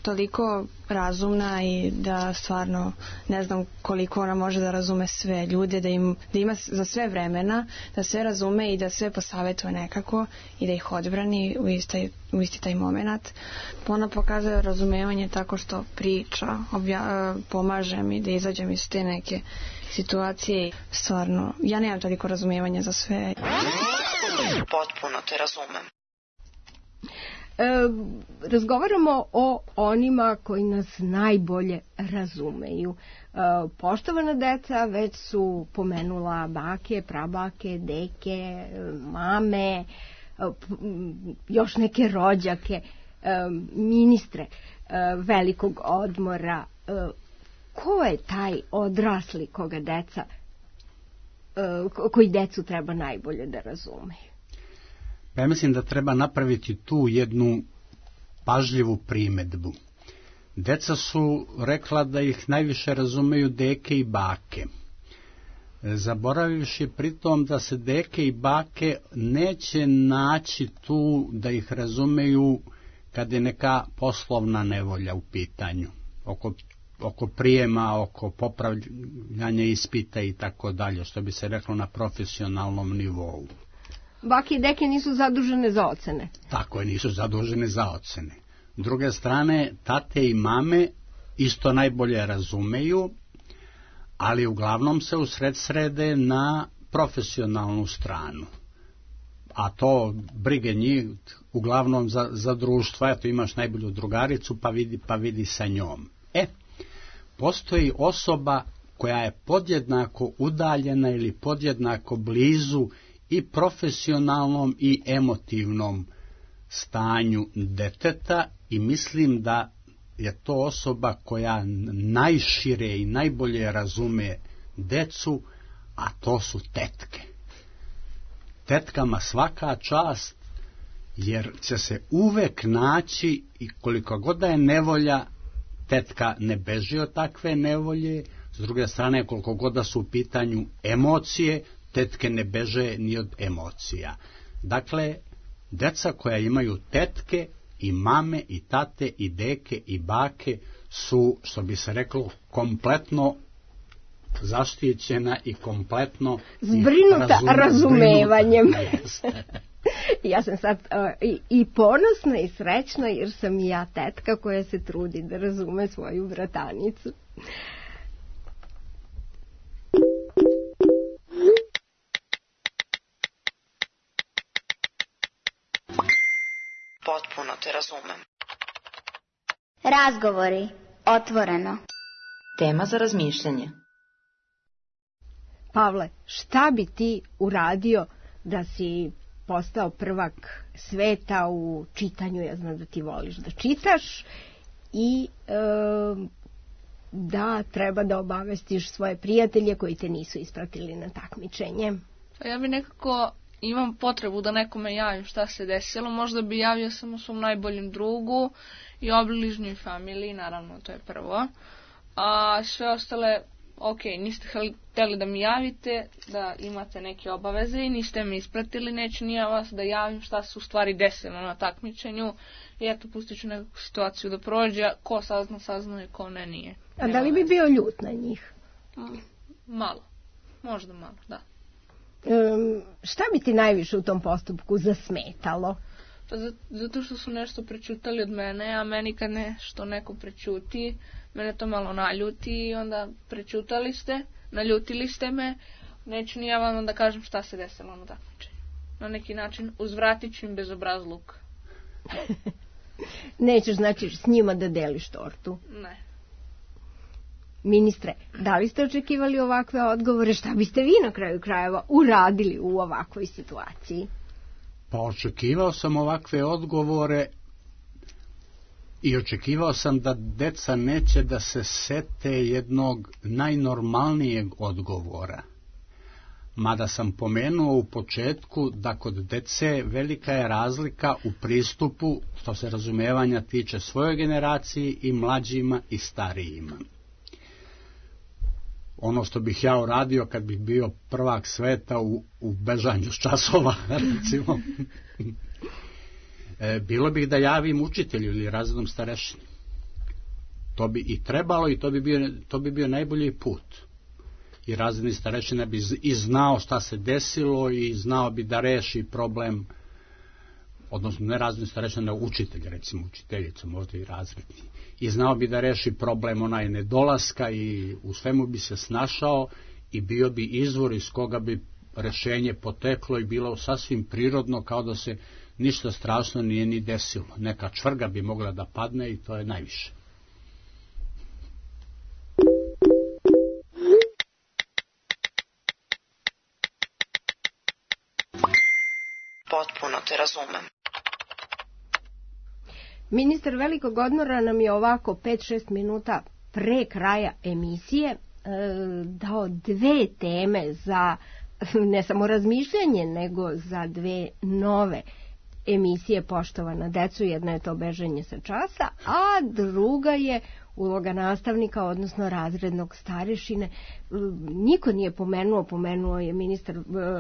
toliko razumna i da stvarno ne znam koliko ona može da razume sve ljude, da, im, da ima za sve vremena, da sve razume i da sve posavetuje nekako i da ih odbrani u, istoj, u isti taj moment. Ona pokazuje razumevanje tako što priča, obja, pomaže mi da izađem iz te neke situacije. Stvarno, ja nemam toliko razumevanja za sve. Potpuno te razumem. E, razgovaramo o onima koji nas najbolje razumeju. E, poštovana deca već su pomenula bake, prabake, deke, mame, e, još neke rođake, e, ministre e, velikog odmora. E, ko je taj odrasli koga deca, e, koji decu treba najbolje da razumeju? Pa ja mislim da treba napraviti tu jednu pažljivu primedbu. Deca su rekla da ih najviše razumeju deke i bake. Zaboravivši pritom da se deke i bake neće naći tu da ih razumeju kad je neka poslovna nevolja u pitanju. Oko oko prijema, oko popravljanja ispita i tako dalje, što bi se reklo na profesionalnom nivou. Bake i deke nisu zadužene za ocene. Tako je, nisu zadužene za ocene. S druge strane, tate i mame isto najbolje razumeju, ali uglavnom se usred srede na profesionalnu stranu. A to brige njih uglavnom za, za društvo, eto imaš najbolju drugaricu pa vidi, pa vidi sa njom. E, postoji osoba koja je podjednako udaljena ili podjednako blizu i profesionalnom i emotivnom stanju deteta i mislim da je to osoba koja najšire i najbolje razume decu, a to su tetke. Tetkama svaka čast, jer će se uvek naći i koliko god da je nevolja, tetka ne beži od takve nevolje, s druge strane koliko god da su u pitanju emocije, tetke ne beže ni od emocija. Dakle, deca koja imaju tetke i mame i tate i deke i bake su, što bi se reklo, kompletno zaštićena i kompletno zbrinuta razumevanjem. Ja sam sad uh, i, i ponosna i srećna jer sam i ja tetka koja se trudi da razume svoju bratanicu. Potpuno te razumem. Razgovori. Otvoreno. Tema za razmišljanje. Pavle, šta bi ti uradio da si postao prvak sveta u čitanju? Ja znam da ti voliš da čitaš i e, da treba da obavestiš svoje prijatelje koji te nisu ispratili na takmičenje. Pa ja bi nekako imam potrebu da nekome javim šta se desilo. Možda bi javio samo svom najboljem drugu i obližnjoj familiji, naravno to je prvo. A sve ostale, ok, niste hteli da mi javite, da imate neke obaveze i niste me ispratili, neću ni ja vas da javim šta se u stvari desilo na takmičenju i eto, pustit ću neku situaciju da prođe, ko sazna, sazna i ko ne, nije. A da li bi bio ljut na njih? Malo, možda malo, da. Um, šta bi ti najviše u tom postupku zasmetalo? Pa zato što su nešto prećutali od mene, a meni kad nešto neko prećuti, mene to malo naljuti i onda prećutali ste, naljutili ste me, neću ni ja vam da kažem šta se desilo na takmičenju. Na neki način uzvratit ću im bezobrazluk. Nećeš znači s njima da deliš tortu? Ne. Ministre, da li ste očekivali ovakve odgovore? Šta biste vi na kraju krajeva uradili u ovakvoj situaciji? Pa očekivao sam ovakve odgovore i očekivao sam da deca neće da se sete jednog najnormalnijeg odgovora. Mada sam pomenuo u početku da kod dece velika je razlika u pristupu što se razumevanja tiče svojoj generaciji i mlađima i starijima. Ono što bih ja uradio kad bih bio prvak sveta u, u bežanju s časova, recimo, e, bilo bih da javim učitelju ili razrednom starešini. To bi i trebalo i to bi bio, to bi bio najbolji put. I razredni starešina bi i znao šta se desilo i znao bi da reši problem, odnosno ne razredni starešina, nego učitelj, recimo učiteljica, možda i razredni. I znao bi da reši problem onaj nedolaska i u svemu bi se snašao i bio bi izvor iz koga bi rešenje poteklo i bilo sasvim prirodno, kao da se ništa strašno nije ni desilo. Neka čvrga bi mogla da padne i to je najviše. Potpuno te razumem. Ministar velikog odmora nam je ovako pet šest minuta pre kraja emisije e, dao dve teme za ne samo razmišljanje, nego za dve nove emisije Poštovana deco. Jedna je to bežanje sa časa, a druga je uloga nastavnika, odnosno razrednog starešine. Niko nije pomenuo, pomenuo je ministar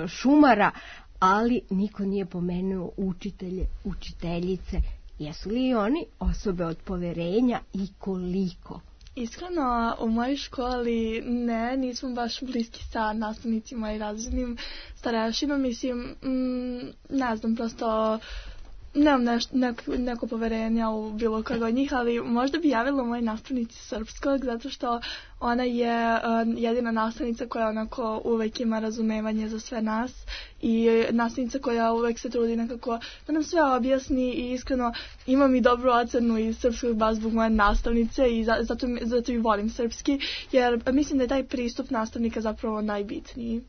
Šumara, ali niko nije pomenuo učitelje, učiteljice. Jesu li oni osobe od poverenja i koliko Iskreno, u mojoj školi ne, nismo baš bliski sa nastavnicima i razrednim starešinom. Mislim, mm, ne znam, prosto nemam neš, neko, neko poverenja u bilo koga od njih, ali možda bi javila moj nastavnici srpskog, zato što ona je uh, jedina nastavnica koja onako uvek ima razumevanje za sve nas i nastavnica koja uvek se trudi nekako da nam sve objasni i iskreno imam i dobru ocenu iz srpskog baš zbog moje nastavnice i za, zato, zato i volim srpski, jer mislim da je taj pristup nastavnika zapravo najbitniji.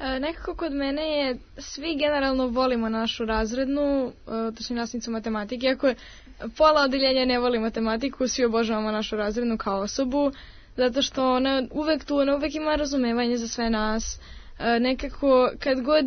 E, nekako kod mene je, svi generalno volimo našu razrednu, e, to su nastavnicu matematike, iako pola odeljenja ne voli matematiku, svi obožavamo našu razrednu kao osobu, zato što ona uvek tu, ona uvek ima razumevanje za sve nas. E, nekako kad god,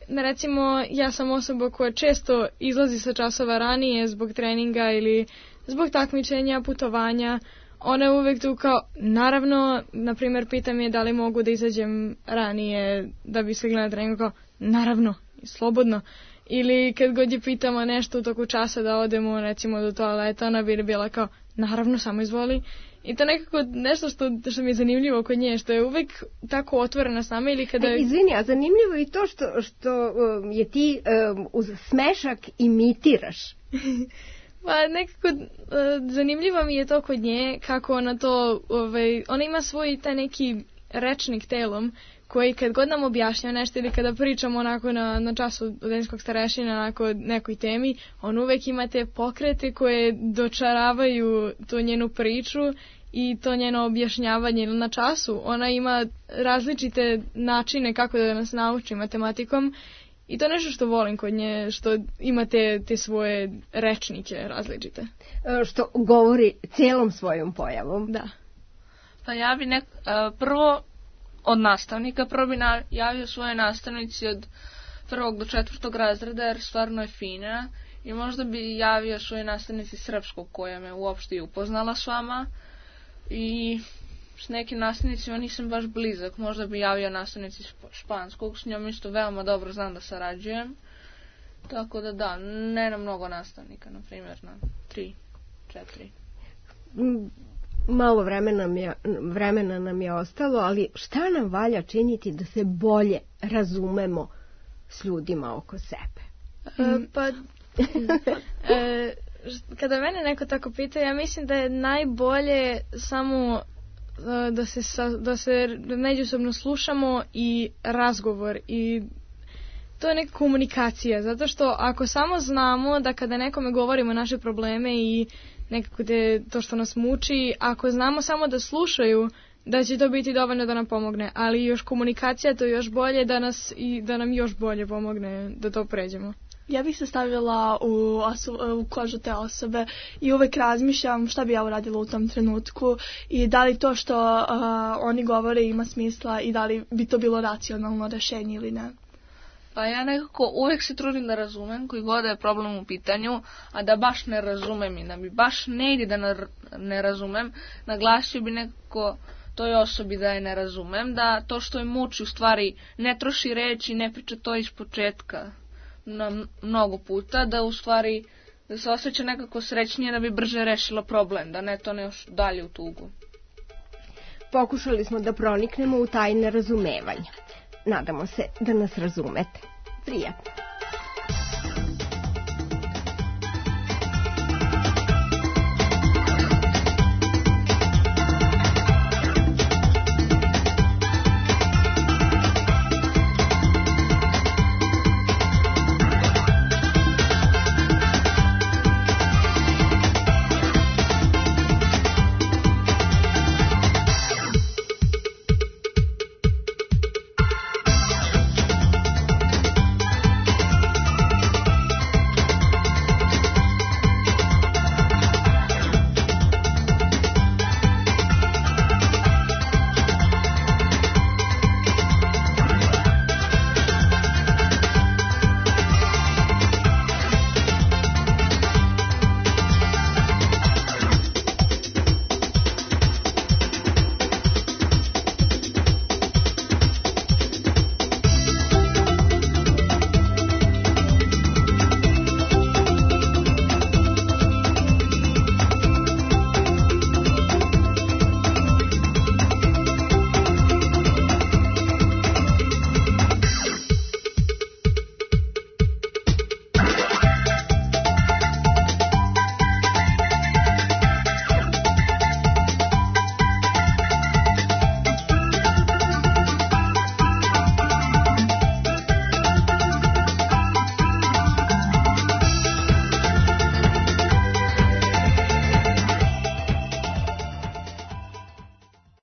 recimo ja sam osoba koja često izlazi sa časova ranije zbog treninga ili zbog takmičenja, putovanja, ona je uvek tu kao, naravno, na primjer, pitam je da li mogu da izađem ranije da bi stigla na treningu, kao, naravno, slobodno. Ili kad god je pitamo nešto u toku časa da odemo, recimo, do toaleta, ona bi bila kao, naravno, samo izvoli. I to nekako nešto što, što mi je zanimljivo kod nje, što je uvek tako otvorena s nama ili kada... E, izvini, a zanimljivo je i to što, što um, je ti um, uz smešak imitiraš. Pa nekako uh, zanimljivo mi je to kod nje, kako ona to, ovaj, ona ima svoj taj neki rečnik telom, koji kad god nam objašnja nešto ili kada pričamo onako na, na času odeljskog starešina onako nekoj temi, on uvek ima te pokrete koje dočaravaju tu njenu priču i to njeno objašnjavanje na času. Ona ima različite načine kako da nas nauči matematikom. I to je nešto što volim kod nje, što ima te, te svoje rečnike različite. E, što govori cijelom svojom pojavom. Da. Pa ja bi nek, uh, prvo od nastavnika, prvo bi na, javio svoje nastavnici od prvog do četvrtog razreda, jer stvarno je fina. I možda bi javio svoje nastavnici srpskog, koja me uopšte i upoznala s vama. I s nekim nastavnicima nisam baš blizak, možda bi javio nastavnici španskog, s njom isto veoma dobro znam da sarađujem. Tako da da, ne na mnogo nastavnika, na primjer na tri, četiri. Malo vremena nam, je, vremena nam je ostalo, ali šta nam valja činiti da se bolje razumemo s ljudima oko sebe? E, pa, e, kada mene neko tako pita, ja mislim da je najbolje samo da se, da se međusobno slušamo i razgovor i to je neka komunikacija, zato što ako samo znamo da kada nekome govorimo naše probleme i nekako te, to što nas muči, ako znamo samo da slušaju, da će to biti dovoljno da nam pomogne, ali još komunikacija to je još bolje da, nas, i da nam još bolje pomogne da to pređemo. Ja bih se stavila u, oso, u kožu te osobe i uvek razmišljam šta bi ja uradila u tom trenutku i da li to što uh, oni govore ima smisla i da li bi to bilo racionalno rešenje ili ne. Pa ja nekako uvek se trudim da razumem koji god je problem u pitanju, a da baš ne razumem i da mi baš ne ide da ne razumem, naglasio bi nekako toj osobi da je ne razumem, da to što je muči u stvari ne troši reči, ne priča to iz početka na mnogo puta, da u stvari da se osjeća nekako srećnije da bi brže rešila problem, da ne to ne još dalje u tugu. Pokušali smo da proniknemo u tajne razumevanja. Nadamo se da nas razumete. Prijatno.